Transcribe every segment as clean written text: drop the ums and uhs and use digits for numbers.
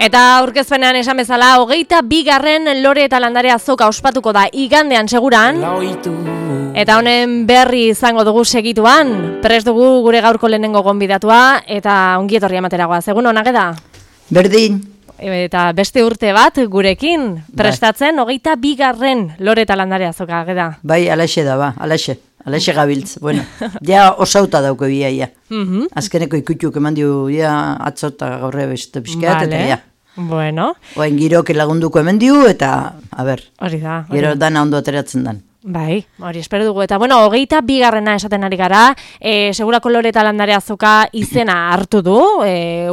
Eta aurkezpenean esan bezala, 22. Lore eta Landare azoka ospatuko da igandean seguran. Eta honen berri izango dugu segituan. Prest dugu gure gaurko lehenengo gonbidatua eta ongietorri amateragoa. Egun onak da? Berdin. Eta beste urte bat gurekin prestatzen 22. Lore eta Landare azoka da. Bai, alaxe da ba, alaxe gabiltz. Bueno, ja osauta dauko biaia. Azkeneko ikutuk eman diu ja atzota gaurre beste pixkat eta ja. Bueno. Oain giroke lagunduko hemen diu eta, a ber, hori da. Gero dana ondo ateratzen dan. Bai, hori espero dugu. Eta bueno, 22. esaten ari gara, segurako Lore eta Landare azoka izena hartu du,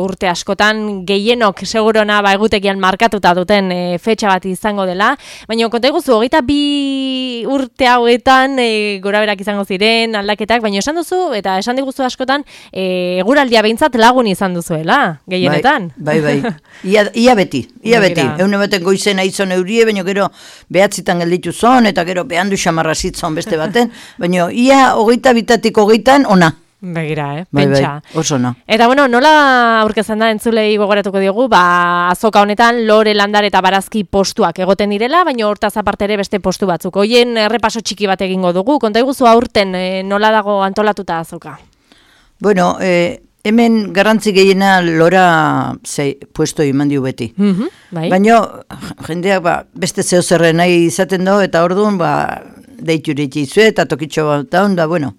urte askotan gehienok segurona egutekian markatuta duten fetxa bat izango dela, baina konta iguzu, 22 urte hauetan goraberak izango ziren, aldaketak, baina esan duzu, eta esan diguzu askotan, eguraldia behintzat lagun izan duzuela, gehienetan. Bai. Ia beti. Eune baten goizena izan eurie, baina gero behatzitan gelditu zon, eta gero behandu xamarra zitzon beste baten, baina ia 22-tik 20 ona. Begira, pentsa. Bai, oso ona. Eta bueno, nola aurkezten da entzulei gogoratuko diogu, azoka honetan Lore, Landare eta Barazki postuak egoten direla, baina hortaz aparte ere beste postu batzuk. Hoien errepaso txiki bat egingo dugu, konta iguzu aurten nola dago antolatuta azoka? Bueno, hemen garrantzi gehiena Lora puesto eman diu beti. Bai. Baina jendeak beste zeo zerren nahi izaten do, eta orduan deitu izue eta tokitxo bat daun, bueno,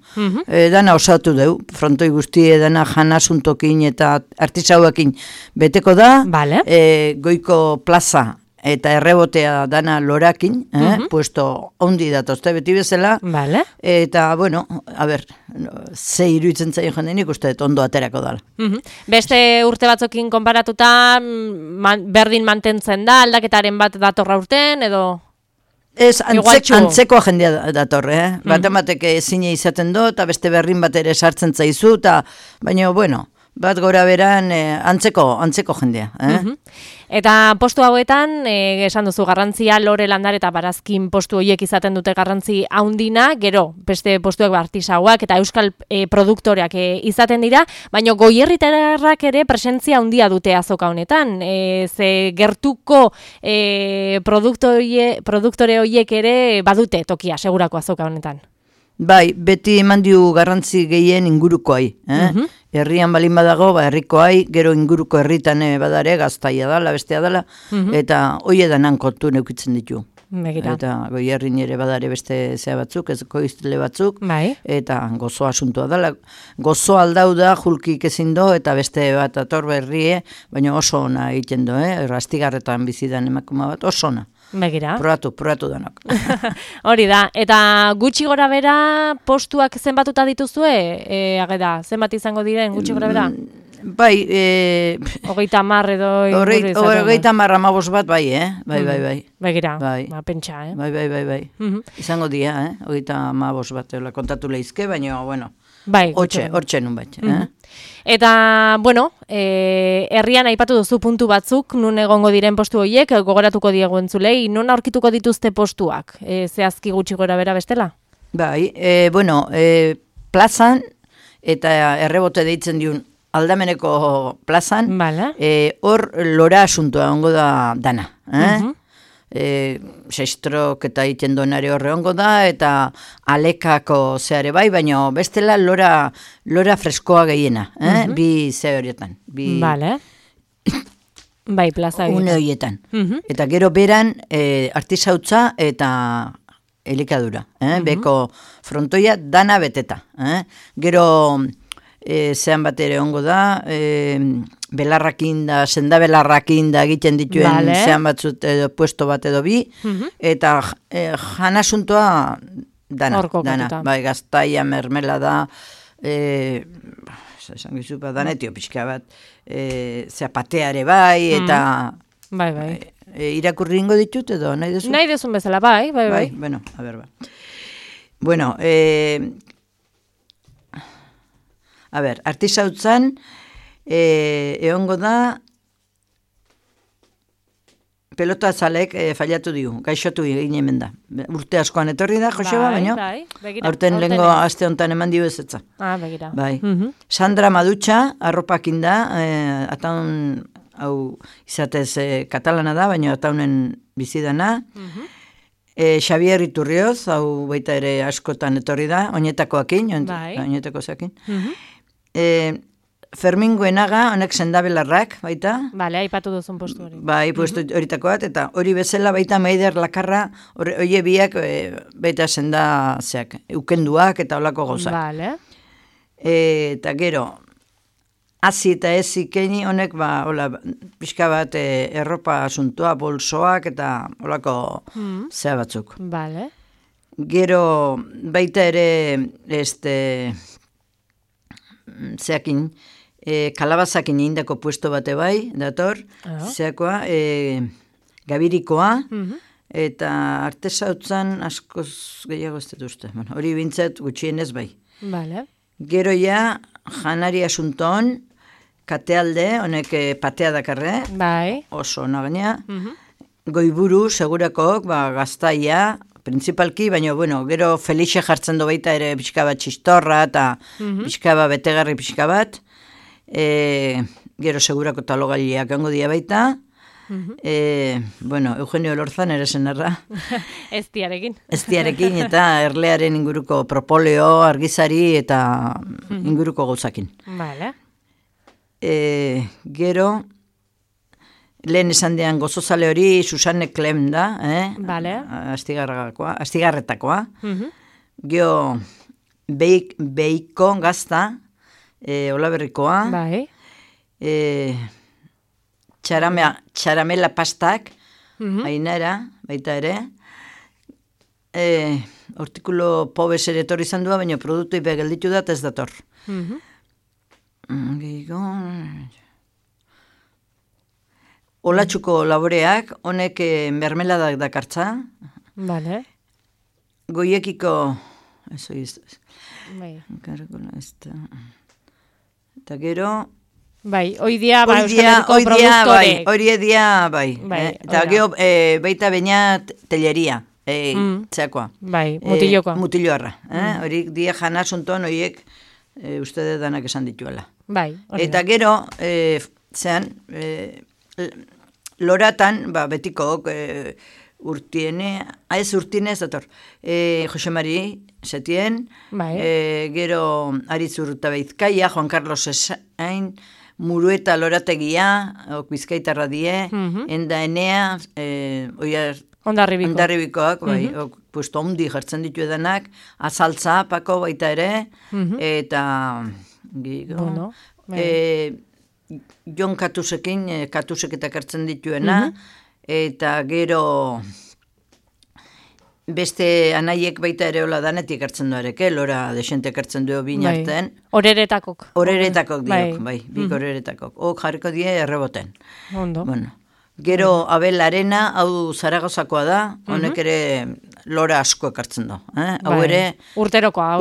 dana osatu deu, frontoi guztie dana janasuntokin eta artisauekin beteko da, goiko plaza eta errebotea dana Lorakin, puesto ondi datozte beti bezala, eta, bueno, a ber, ze iruditzen zaio jendenik uste ondo aterako dala. Beste urte batzokin konparatuta, berdin mantentzen da, aldaketaren bat datorra urten, edo? Ez, antzeko jendea datorre, Batemateke ezine izaten do, eta beste berrin bat ere sartzen zaizu, baina, bueno, bat gora beran antzeko jendea. Eta postu hauetan, esan duzu garrantzia Lore, Landare eta Barazkin postu horiek izaten dute garrantzi haundina, gero beste postuak artisauak eta euskal produktoreak izaten dira, baina goierritarrak ere presentzia handia dute azoka honetan. Ze gertuko produktore horiek ere badute tokia segurako azoka honetan. Bai, beti eman diu garrantzi gehien ingurukoai. Herrian balin badago, herrikoai, gero inguruko herritan badare, gaztaia dala, bestea dala, eta hoi edanan kontu neukitzen ditu. Begira. Eta goi herrin ere badare beste zea batzuk, ez koiztile batzuk, eta gozo asuntua dala. Gozo aldau da, julkik ezin do, eta beste bat ator berrie, baina oso ona egiten do, rastigarretan bizidan emakuma bat, oso ona. Begira. Probatu danok. Hori da, eta gutxi gora bera postuak zenbatuta dituzue? Zenbat izango diren gutxi gora bera? Bai, 30 edo... 30 amabos bat, bai, bai. Begira, pentsa, Bai. Izango dia, 30 amabos bat, kontatu lehizke, baina, bueno, hortxe nun bat. Eta, bueno, herrian aipatu duzu puntu batzuk, nun egongo diren postu horiek, gogoratuko diegu entzulei, non aurkituko dituzte postuak, zehazki gutxi gora bera bestela? Bai, bueno, plazan, eta errebote deitzen diun aldameneko plazan, hor Lora asuntoa ongo da dana. Sestrok eta egiten donare horre ongo da, eta alekako zeare bai, baina bestela Lora freskoa gehiena, bi ze horietan. Bai, plaza une horietan. Eta gero beran artisautza eta elikadura. Beko frontoia dana beteta. Gero zean bat ere ongo da, belarrakin da, senda belarrakin da egiten dituen zean batzut edo puesto bat edo bi, eta janasuntoa dana. Bai, gaztaia, mermelada, esan gizu, danetio pixka bat, zapateare bai, eta irakurri ingo ditut edo, nahi dezu? Nahi dezun bezala, bai. Bueno, a ber, Bueno, a ber, artisautzan, egongo da, pelota zalek fallatu diu, gaixotu egin hemen da. Urte askoan etorri da, Joseba, baina, aurten lehengo aste honetan eman dio ezetza. Begira. Bai. Sandra Madutxa, arropakin da, atan hau izatez katalana da, baina ataunen bizidana. Xabier Iturrioz, hau baita ere askotan etorri da, oinetakoakin, oinetako zakin. Fermin Goenaga, honek sendabelarrak, baita. Bale, aipatu duzun postu hori. Bai, postu horitako bat, eta hori bezala baita Maider Lakarra, hori biak baita sendazeak, ukenduak eta olako gauzak. Bale. Eta gero, hazi eta ez ikeni honek, pixka bat erropa asuntua, bolsoak eta olako zea batzuk. Bale. Gero, baita ere, zeakin, kalabazakin egindako puesto bate bai, dator, zeakoa, gabirikoa, eta artesautzan askoz gehiago ez dut uste. Bueno, hori bintzat gutxienez bai. Vale. Gero ja, janari asunton, katealde, honek patea dakarre, bai. Oso nagaina, goiburu, segurakok, gaztaia, principalki, baina, bueno, gero Felixe jartzen do baita ere pixka bat txistorra eta pixka bat betegarri pixka bat. Gero segurako talogaileak hango dia baita. Bueno, Eugenio Lorzan ere zenarra. Eztiarekin eta erlearen inguruko propoleo, argizari eta inguruko gauzakin. Vale. Gero... Lehen esan dean gozozale hori Susanne Klem da, Vale. Astigarretakoa. Gio Beiko gazta, Olaberrikoa. Bai. Txaramela pastak, Ainara, baita ere. Hortikulo pobez ere etorri izan dua, baina produktu ipe gelditu da, ez dator. Gego... Olatxuko laboreak, honek mermeladak dakartza. Vale. Goiekiko... Eso bai. Eta gero... Bai, hoidia, Euskal Herriko produktorek. Hoidia, bai. Eta gero, baita baina telleria, txakoa. Bai, mutilokoa. Mutilloarra. Horik dia jana sunton, horiek uste danak esan dituela. Bai, hori. Eta gero, zean... Loratan, betiko urtiene, ez urtiene ez dator, Jose Mari Setien, gero Aritz Urtabeizkaia, Juan Carlos Esain, Murueta Lorategia, Bizkaitarra die, Enda Enea, Ondarribikoak, puesto ondi jartzen ditu edanak, Azaltza, Pako baita ere, eta bueno, Jon Katusekin, Katusek eta kartzen dituena, eta gero beste anaiek baita ere hola danetik hartzen duareke, lora desente hartzen du binarten. Horeretakok. Horeretakok diok, bik horeretakok. Ok jarriko die erreboten. Ondo. Bueno, gero Abel Arena, hau Zaragozakoa da, honek ere lora asko ekartzen du. Hau ere... Urterokoa.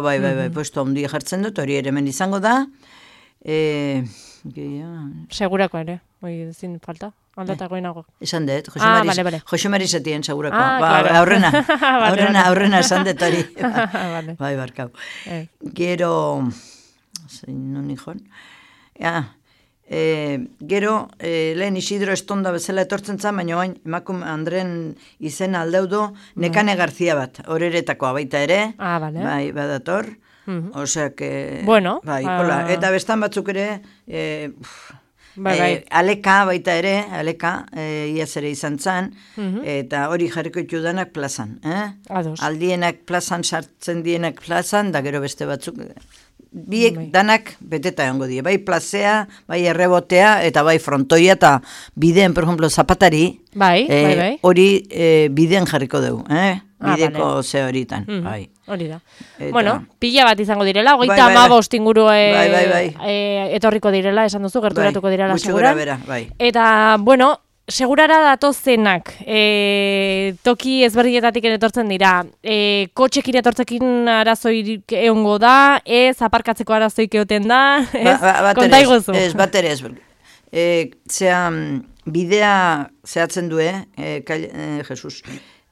Bai, puesto ondi jartzen dut, hori ere hemen izango da. Segurako ere, ezin falta, aldatakoen nago. Esan dut, Jose Mari Setien segurako. Claro. Aurrena esan dut hori. Bai, barkau. Gero, non nijon? Gero, lehen Isidro Estonda bezala etortzen zan, baina oain, emakum Andren izena aldeudo, Nekane Garzia bat, horeretakoa baita ere. Bai, badator. Osea que... Bueno. Bai, hola. Eta bestan batzuk ere, Aleka baita ere, iaz ere izan zan, eta hori jarriko itudanak plazan. Aldienak plazan, sartzen dienak plazan, da gero beste batzuk... Biek danak beteta egongo die, bai plazea, bai errebotea, eta bai frontoia, eta bideen, por ejemplo, zapatari, hori bideen jarriko dugu, bideko ze horitan, bai. Hori da. Bueno, pila bat izango direla, 35 inguru etorriko direla, esan duzu, gerturatuko direla seguran. Eta, bueno, segurara datozenak, toki ezberdinetatik etortzen dira, kotxekin etortzekin arazoik egongo da, ez aparkatzeko arazoik egoten da, konta iguzu. Ez, bat ere ez. Bidea zehatzen du, Jesus,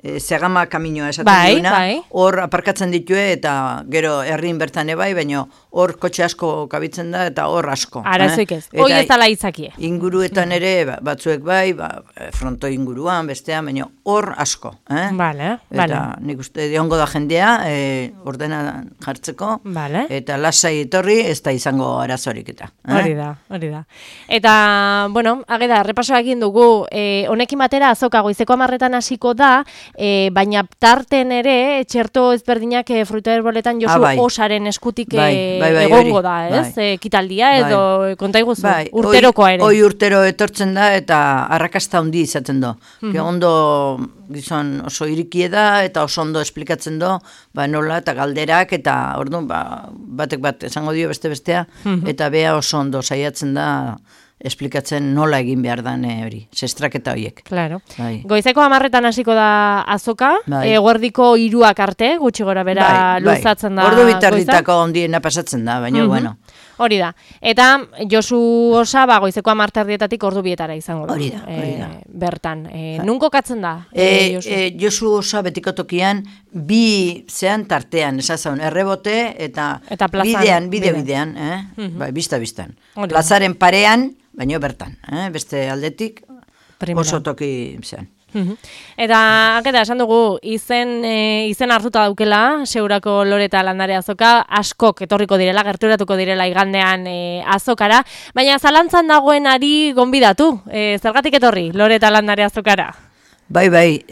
Zegama kaminoa esaten duena, bai. hor aparkatzen ditue eta gero herrin bertan ebai, baina hor kotxe asko kabitzen da eta hor asko. Arazoik ez, hoi ez dala itzakie. Inguruetan ere, batzuek bai, fronto inguruan, bestean, baina hor asko. Vale. Eta nik uste diongo da jendea, ordena jartzeko, eta lasai etorri ez da izango arazorik eta. Hori da. Eta, bueno, ageda, repasoa egin dugu, honekin batera azoka goizeko 10 hasiko da, baina tarten ere, txerto ezberdinak fruta herboletan Josu osaren eskutik egongo da, ez? Kitaldia edo konta iguzu, urterokoa ere. Hoi urtero etortzen da eta arrakasta handi izaten do. Ondo gizon oso irikie da eta oso ondo esplikatzen do, nola eta galderak eta orduan batek bat esango dio bestea eta bea oso ondo saiatzen da esplikatzen nola egin behar dan hori, sestraketa horiek. Claro. Goizeko 10 hasiko da azoka, eguerdiko 3 arte, gutxi gora bera luzatzen da. Ordu bitarditako ondiena pasatzen da, baina bueno. Hori da. Eta Josu osa, goizeko 10 ordu bietara izango da. Hori da. Bertan. Nun kokatzen da? Josu osa betiko tokian, bi zean tartean, esazan, errebote eta bidean, bista-bistan. Plazaren parean, baina bertan, beste aldetik oso toki zean. Eta, esan dugu, izen hartuta daukela, Segurako Lore eta Landare azoka, askok etorriko direla, gerturatuko direla igandean azokara, baina zalantzan dagoenari gonbidatu, zergatik etorri, Lore eta Landare azokara? Bai,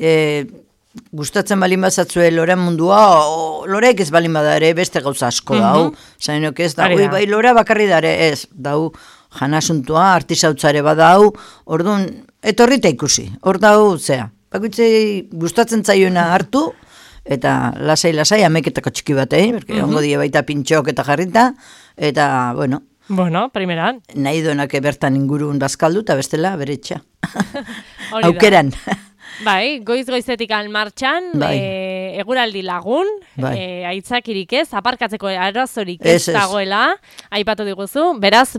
gustatzen balin bazatzue Loren mundua, Loreek ez balin badare, beste gauza asko dau, zainok ez, bai, Lora bakarri dare, ez, dau, janasuntua, artisautzare badau, orduan, etorrita ikusi, hor dau, zea, bakoitzei gustatzen zaiona hartu, eta lasai, ameketako txiki batei, berke ongo die baita pintxok eta jarrita, eta, bueno, primeran. Nahi donak bertan ingurun bazkaldu, eta bestela, bere etxa. Aukeran. Bai, goizetik martxan, eguraldi lagun, aitzakirik ez, aparkatzeko arazorik ez dagoela, aipatu diguzu, beraz,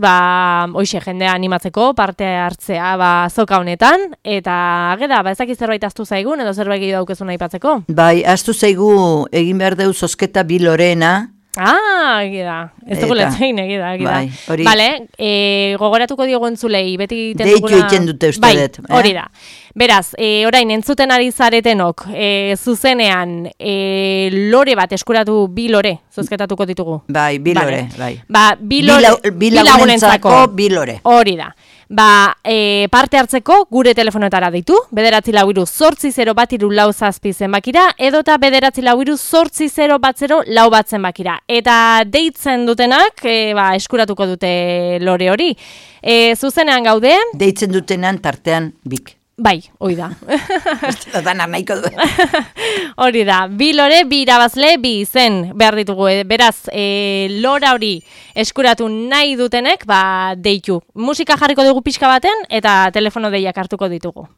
hoxe jendea animatzeko parte hartzea azoka honetan, eta geda, ezaki zerbait aztu zaigun, edo zerbait gehi daukezun aipatzeko? Bai, aztu zaigu egin behar deu zozketa bi Lorena. Egida, ez dugu letzein egida. Bale, gogoratuko diogu entzulei, beti egiten duguna... Deitu egiten dute ustedet. Hori da. Beraz, orain entzuten ari zaretenok, zuzenean, lore bat eskuratu, bi lore, zozketatuko ditugu. Bai, bi lore, bai. Bi lagunentzako, bi lore. Hori da. Parte hartzeko gure telefonetara deitu, 944-0 zenbakira, edota 944-0 zenbakira. Eta deitzen dutenak, eskuratuko dute lore hori. Zuzenean gaude? Deitzen dutenan tartean bik. Bai, hori da. Danar nahiko du. Hori da, bi lore, bi irabazle, bi izen behar ditugu. Beraz, lora hori eskuratu nahi dutenek, deitu. Musika jarriko dugu pixka baten, eta telefono deiak hartuko ditugu.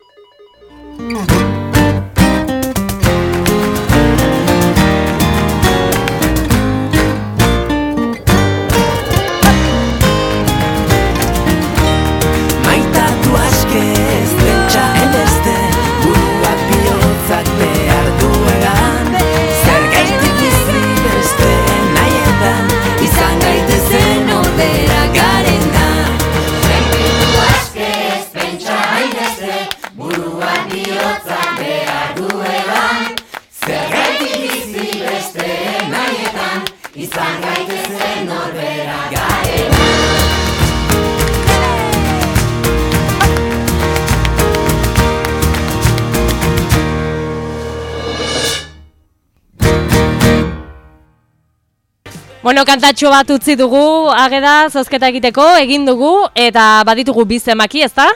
Bueno, kantatxo bat utzi dugu, ageda, zozketa egiteko, egin dugu, eta baditugu bi zenbaki, ezta?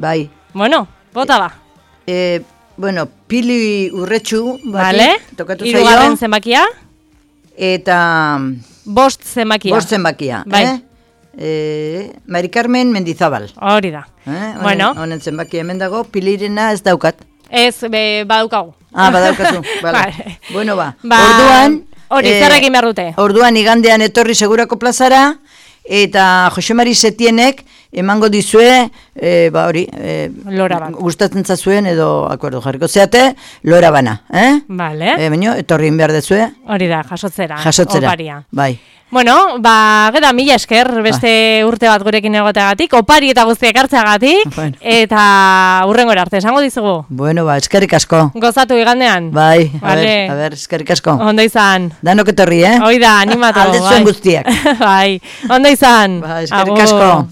Bai. Bueno, bota ba. Bueno, Pili Urretxu, tokatu zaio. Hirugarren zenbakia. Eta... Bost zenbakia. Bai. Mari Carmen Mendizabal. Hori da. Bueno. Honen zenbakia hemen dago, Pilirena ez daukat. Ez, badaukagu. Badaukazu. Vale. Bueno, orduan... Hori, zer egin behar dute? Orduan igandean etorri Segurako plazara, eta Jose Mari Setienek emango dizue, hori, Lora bat. gustatzen zazuen edo akordo jarriko zeate, lora bana, Vale. Baina, etorrin behar dezue. Hori da, jasotzera. Jasotzera, Oparia. bai. Bueno, geda mila esker, beste urte bat gurekin egoteagatik, opari eta guztiak hartzeagatik, Bueno. eta hurrengora arte, esango dizugu. Bueno, eskerrik asko. Gozatu igandean. Bai, Vale. a ber, eskerrik asko. Ondo izan. Danok etorri, Hoi da, animatu. Alde zuen guztiak. Bai, ondo izan. Bai, eskerrik asko.